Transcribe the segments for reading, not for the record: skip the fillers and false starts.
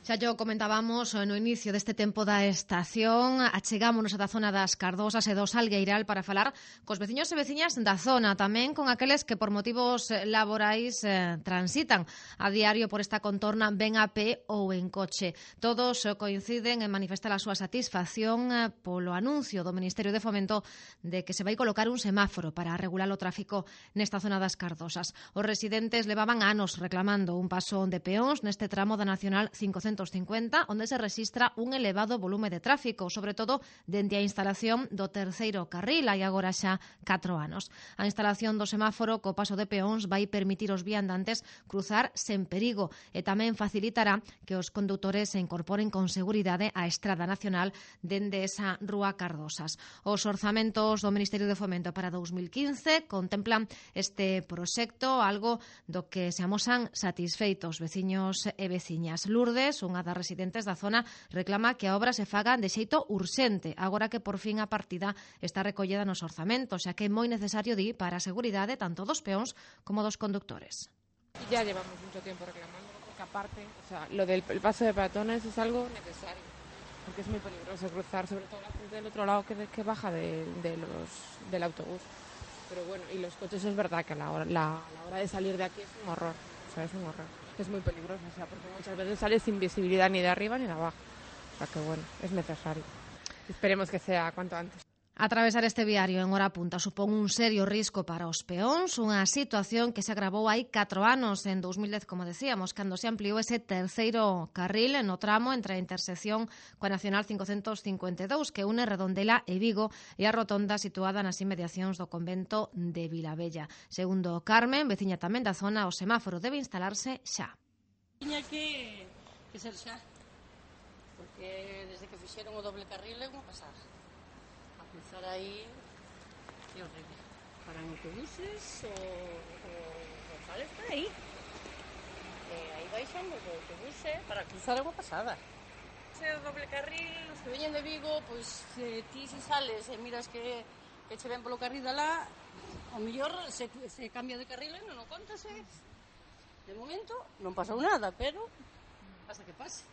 Xa yo comentábamos no inicio deste tempo da estación, achegámonos a da zona das Cardosas e do Salgueiral para falar cos veciños e veciñas da zona, tamén con aqueles que por motivos laborais transitan a diario por esta contorna ben a pé ou en coche. Todos coinciden en manifestar a súa satisfacción polo anuncio do Ministerio de Fomento de que se vai colocar un semáforo para regular o tráfico nesta zona das Cardosas. Os residentes levaban anos reclamando un paso de peóns neste tramo da Nacional 550, onde se rexistra un elevado volume de tráfico, sobre todo dende a instalación do terceiro carril, hai agora xa 4 anos. A instalación do semáforo co paso de peóns vai permitir aos viandantes cruzar sen perigo e tamén facilitará que os condutores se incorporen con seguridade á Estrada Nacional dende esa Rúa Cardosas. Os orzamentos do Ministerio de Fomento para 2015 contemplan este proxecto, algo do que se amosan satisfeitos veciños e veciñas. Lourdes, unha das residentes da zona, reclama que a obra se faga de xeito urxente, agora que por fin a partida está recollida nos orzamentos, xa que é moi necesario para a seguridade tanto dos peóns como dos conductores. Ya llevamos mucho tiempo reclamando, porque aparte, lo del paso de peatones es algo necesario, porque es muy peligroso cruzar, sobre todo la gente del otro lado que baja del autobús. Pero bueno, y los coches es verdad que a la hora de salir de aquí es un horror, es un horror. Es muy peligroso, porque muchas veces sales sin visibilidad ni de arriba ni de abajo. O sea que bueno, es necesario. Esperemos que sea cuanto antes. Atravesar este viario en hora punta supón un serio risco para os peóns, unha situación que se agravou hai 4 anos, en 2010, como decíamos, cando se ampliou ese terceiro carril no tramo entre a intersección coa Nacional 552, que une Redondela e Vigo, e a rotonda situada nas inmediacións do convento de Vilabella. Segundo Carmen, veciña tamén da zona, o semáforo debe instalarse xa. Tiña que ser xa, porque desde que fixeron o doble carril é unha pasada. Cruzar aí é horrible. Paran autobuses o sales por aí. Aí baixan os autobuses para cruzar é unha pasada. Ese doble carril, os que veñen de Vigo, pois ti se sales e miras que che ven polo carril de lá, ao mellor se cambia de carril e non o contase. De momento non pasou nada, pero pasa que pase.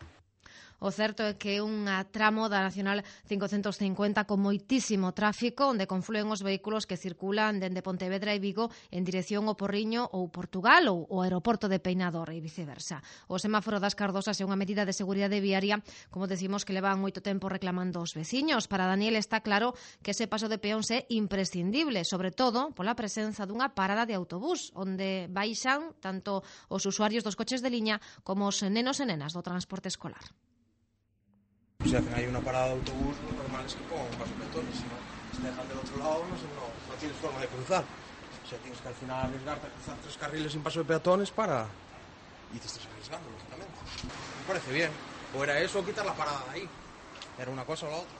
O certo é que é un tramo da Nacional 550 con moitísimo tráfico, onde confluen os vehículos que circulan dende Pontevedra e Vigo en dirección ao Porriño ou Portugal ou o aeroporto de Peinador e viceversa. O semáforo das Cardosas é unha medida de seguridade viaria, como decimos, que levan moito tempo reclamando os veciños. Para Daniel está claro que ese paso de peóns é imprescindible, sobre todo pola presenza dunha parada de autobús, onde baixan tanto os usuarios dos coches de liña como os nenos e nenas do transporte escolar. Si hacen ahí una parada de autobús, lo normal es que pongan un paso de peatones, si no, si dejan del otro lado, no tienes forma de cruzar. O sea, tienes que al final arriesgarte a cruzar 3 carriles sin paso de peatones y te estás arriesgando, lógicamente. Me parece bien. O era eso o quitar la parada de ahí. Era una cosa o la otra.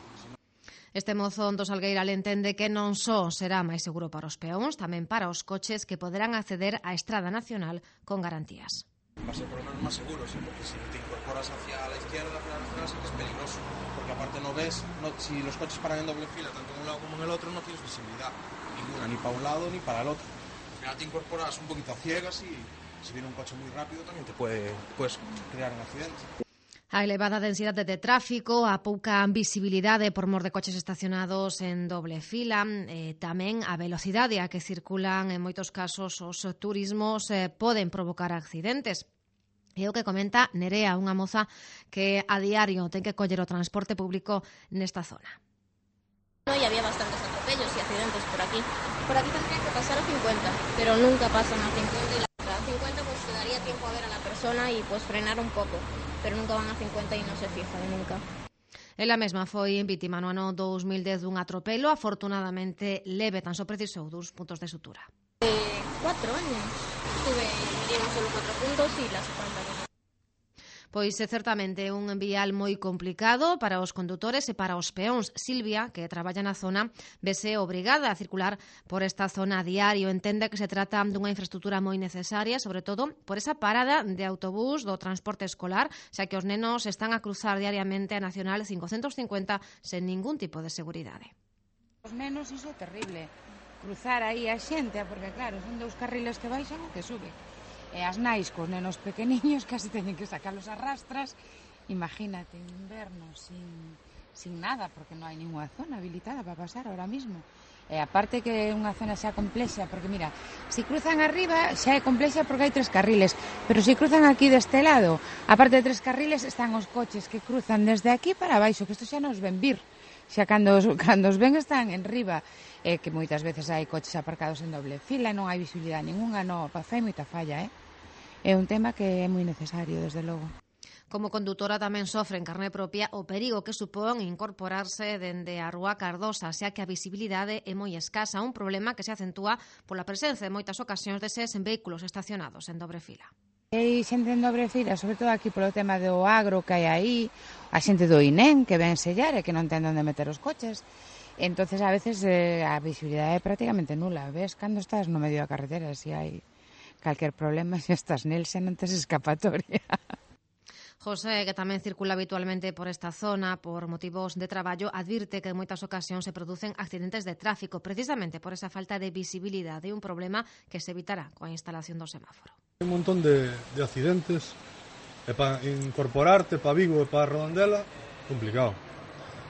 Este mozo do Salgueiral entende que non só será máis seguro para os peóns, tamén para os coches que poderán acceder á Estrada Nacional con garantías. Va a ser por lo menos más seguro, sí, porque si te incorporas hacia la izquierda, al final sí que es peligroso, porque aparte si los coches paran en doble fila, tanto en un lado como en el otro, no tienes visibilidad ninguna, ni para un lado ni para el otro. Al final te incorporas un poquito a ciegas y si viene un coche muy rápido también te puedes crear un accidente. A elevada densidade de tráfico, a pouca visibilidade por mor de coches estacionados en doble fila, tamén a velocidade a que circulan en moitos casos os turismos poden provocar accidentes. É o que comenta Nerea, unha moza que a diario ten que coller o transporte público nesta zona. Y había bastantes atropellos y accidentes por aquí. Por aquí tendría que pasar a 50, pero nunca pasan a 50 y a 50 pues te daría tiempo a ver a la persona y pues frenar un poco, pero nunca van a 50 y no se fijan nunca. Ela mesma foi vítima no ano 2010 dun atropelo, afortunadamente leve, tan só precisou 2 puntos de sutura. 4 años. Me dieron solo 4 puntos y la espalda. Pois é certamente un vial moi complicado para os condutores e para os peóns. Silvia, que traballa na zona, vese obrigada a circular por esta zona a diario. Entende que se trata dunha infraestructura moi necesaria, sobre todo por esa parada de autobús do transporte escolar, xa que os nenos están a cruzar diariamente a Nacional 550 sen ningún tipo de seguridade. Os nenos iso é terrible. Cruzar aí a xente, porque claro, son 2 carriles que baixan e que suben. E as nais cos nenos pequeniños casi teñen que sacalos a rastras imagínate, en inverno sin nada, porque non hai ninguna zona habilitada para pasar ahora mismo. E aparte que é unha zona xa complexa, porque mira, se cruzan arriba xa é complexa porque hai 3 carriles, pero se cruzan aquí deste lado, aparte de 3 carriles están os coches que cruzan desde aquí para baixo, que isto xa nos ven vir, xa cando os ven están en riba, que moitas veces hai coches aparcados en doble fila, non hai visibilidade ninguna, non, fai moita falla, é un tema que é moi necesario, desde logo. Como condutora tamén sofre en carne propia o perigo que supón incorporarse dende a Rúa Cardosa, xa que a visibilidade é moi escasa, un problema que se acentúa pola presenza en moitas ocasións deses vehículos estacionados en dobre fila. Hai xente en dobre fila, sobre todo aquí polo tema do agro que hai aí, a xente do INEM que ven sellar e que non ten onde meter os coches. Entonces a veces a visibilidade é prácticamente nula. Ves cando estás no medio da carretera, se hai calquer problema, se estás nel, xa non tes escapatoria. José, que tamén circula habitualmente por esta zona por motivos de traballo, advirte que en moitas ocasións se producen accidentes de tráfico precisamente por esa falta de visibilidade, un problema que se evitará coa instalación do semáforo. Un montón de accidentes e para incorporarte para Vigo e para Redondela, complicado.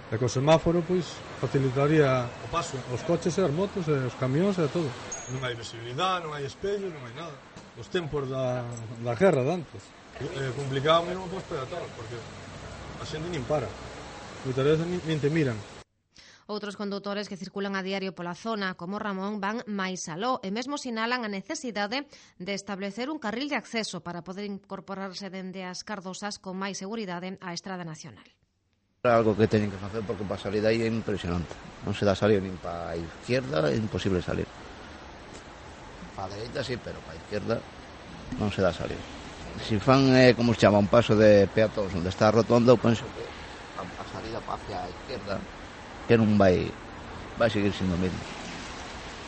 E co semáforo, pois, facilitaría o paso aos coches e as motos e os camións e todo. Non hai visibilidade, non hai espello, non hai nada. Os tempos da guerra de antes. Complicado mesmo para os peatóns, porque a xente nin para. Moitas veces nin te miran. Outros condutores que circulan a diario pola zona, como Ramón, van máis aló e mesmo sinalan a necesidade de establecer un carril de acceso para poder incorporarse dende as Cardosas con máis seguridade á Estrada Nacional. Algo que teñen que facer porque para salir de aí é impresionante. Non se dá salir nin para a izquierda, é imposible salir. Para a dereita sí, pero para a izquierda non se dá salir. Si fan, como se chama, un paso de peatóns onde está a rotonda, eu penso que a salida hacia a izquierda que non vai seguir sendo o mesmo.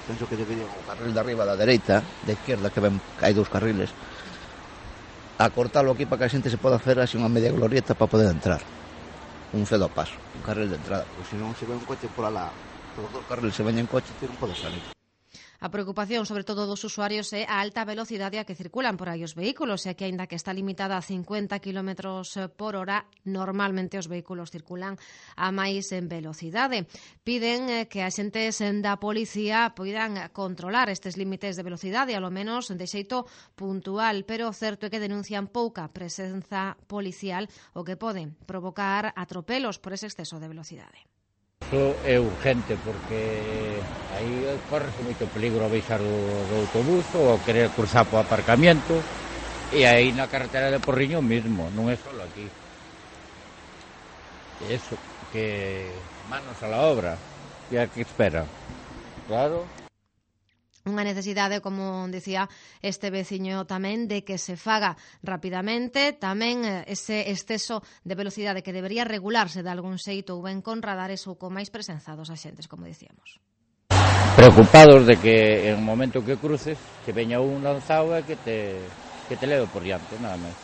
Penso que debería o carril de arriba da dereita, da izquierda, que hai 2 carriles, a cortalo aquí para que a xente se poda hacer así unha media glorieta para poder entrar. Un cedo paso, un carril de entrada, porque se non se ve un coche por alá, por os 2 carriles se veñen coche, non pode salir. A preocupación, sobre todo dos usuarios, é a alta velocidade a que circulan por aí os vehículos, e que, aínda que está limitada a 50 km por hora, normalmente os vehículos circulan a máis en velocidade. Piden que as xentes da policía poidan controlar estes límites de velocidade, ao menos de xeito puntual, pero o certo é que denuncian pouca presenza policial, o que pode provocar atropelos por ese exceso de velocidade. Iso é urgente porque aí corre moito peligro a baixar do autobús ou querer cruzar po aparcamiento, e aí na carretera de Porriño mesmo, non é só aquí. Eso, que manos a la obra, e a que espera. Claro. Unha necesidade, como dicía este veciño tamén, de que se faga rapidamente, tamén ese exceso de velocidade que debería regularse de algún xeito ou ben con radares ou con máis presenza dos axentes, como dicíamos. Preocupados de que en o momento que cruces que veña un lanzado e que te leve por diante, nada máis.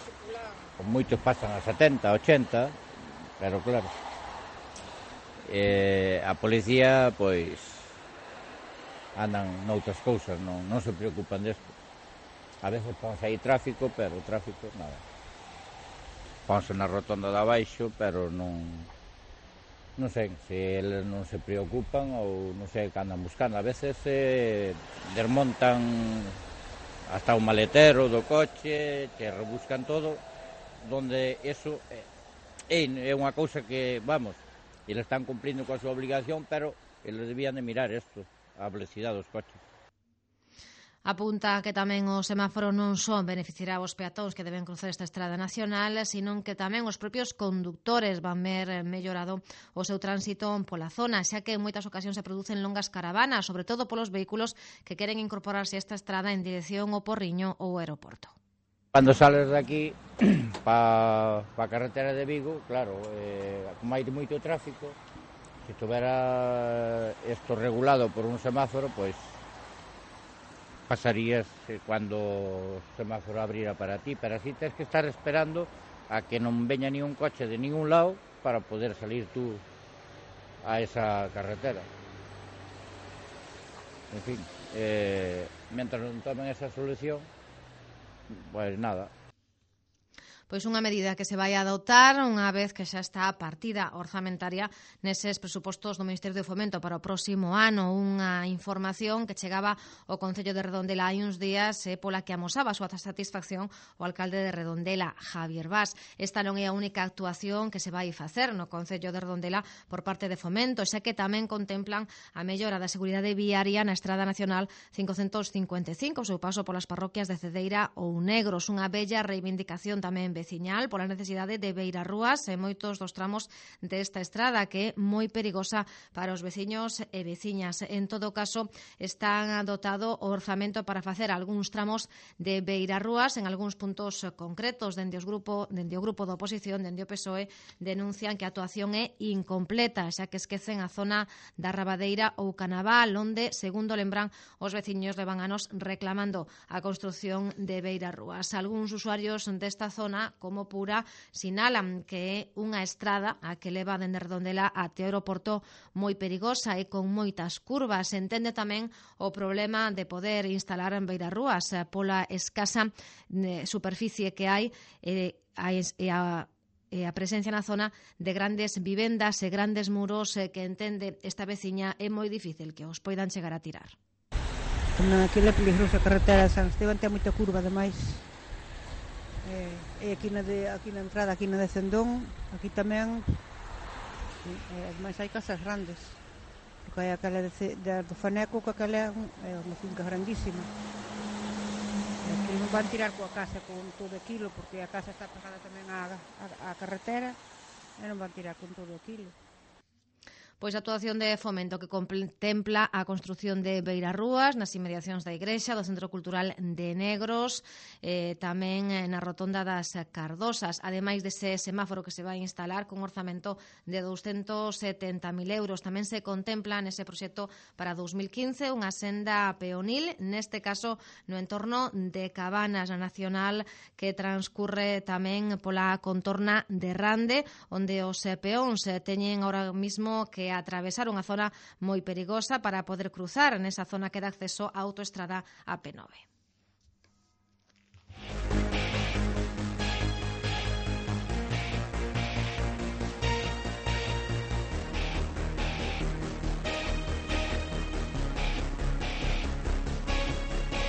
Con moitos pasan a 70, 80, pero claro. A policía, pois, andan noutras cousas, non se preocupan desto. A veces ponse aí tráfico, pero o tráfico nada. Ponse na rotonda de abaixo, pero non sei se eles non se preocupan ou non sei que andan buscando. A veces desmontan hasta o maletero do coche, te rebuscan todo, donde eso é unha cousa que, vamos, eles están cumplindo coa súa obligación, pero eles debían de mirar isto, a velocidade dos coches. Apunta que tamén o semáforo non só beneficiará os peatóns que deben cruzar esta estrada nacional, sino que tamén os propios condutores van ver mellorado o seu tránsito pola zona, xa que en moitas ocasións se producen longas caravanas, sobre todo polos vehículos que queren incorporarse a esta estrada en dirección ao Porriño ou ao aeroporto. Cando sales de aquí para a carretera de Vigo, claro, como hai moito tráfico, se estuvera isto regulado por un semáforo, pois pasarías cando o semáforo abrira para ti, pero así tens que estar esperando a que non veña ni un coche de ningún lado para poder salir tú a esa carretera. En fin, mentras non tomen esa solución, pois nada. Pois unha medida que se vai a adoptar unha vez que xa está a partida orzamentaria neses presupostos do Ministerio de Fomento para o próximo ano. Unha información que chegaba ao Concello de Redondela hai uns días pola que amosaba a súa satisfacción o alcalde de Redondela, Javier Bas. Esta non é a única actuación que se vai facer no Concello de Redondela por parte de Fomento, xa que tamén contemplan a mellora da seguridade viaria na Estrada Nacional 555, o seu paso polas parroquias de Cedeira ou Negros, unha bella reivindicación tamén veciñal pola necesidade de beirarrúas en moitos dos tramos desta estrada que é moi perigosa para os veciños e veciñas. En todo caso, están dotado o orzamento para facer algúns tramos de beirarrúas en algúns puntos concretos. Dende o grupo da oposición, dende o PSOE, denuncian que a actuación é incompleta, xa que esquecen a zona da Rabadeira ou Canaval, onde, segundo lembran, os veciños levan anos reclamando a construción de beirarrúas. Algúns usuarios desta zona, como Pura, sinalan que é unha estrada a que leva dende Redondela até o aeroporto moi perigosa e con moitas curvas. Entende tamén o problema de poder instalar en beirarrúas pola escasa superficie que hai e a presencia na zona de grandes vivendas e grandes muros que entende esta veciña é moi difícil que os poidan chegar a tirar. Aquilo é peligroso, a carretera de San Esteban ten moita curva, ademais. E aquí na entrada, aquí na de Cendón, aquí tamén, ademais hai casas grandes, porque hai aquela do Faneco, que aquela é unha finca grandísima. Aquí non van tirar coa casa con todo aquilo, porque a casa está pegada tamén á carretera, e non van tirar con todo aquilo. Pois a actuación de Fomento que contempla a construción de beirarrúas nas inmediacións da Igrexa, do Centro Cultural de Negros, tamén na rotonda das Cardosas, ademais dese semáforo que se vai instalar con orzamento de 270.000 euros. Tamén se contempla nese proxecto para 2015 unha senda peonil, neste caso no entorno de Cabanas Nacional, que transcurre tamén pola contorna de Rande, onde os peóns teñen ahora mismo que atravesar unha zona moi perigosa para poder cruzar nesa zona que dá acceso á autoestrada AP9.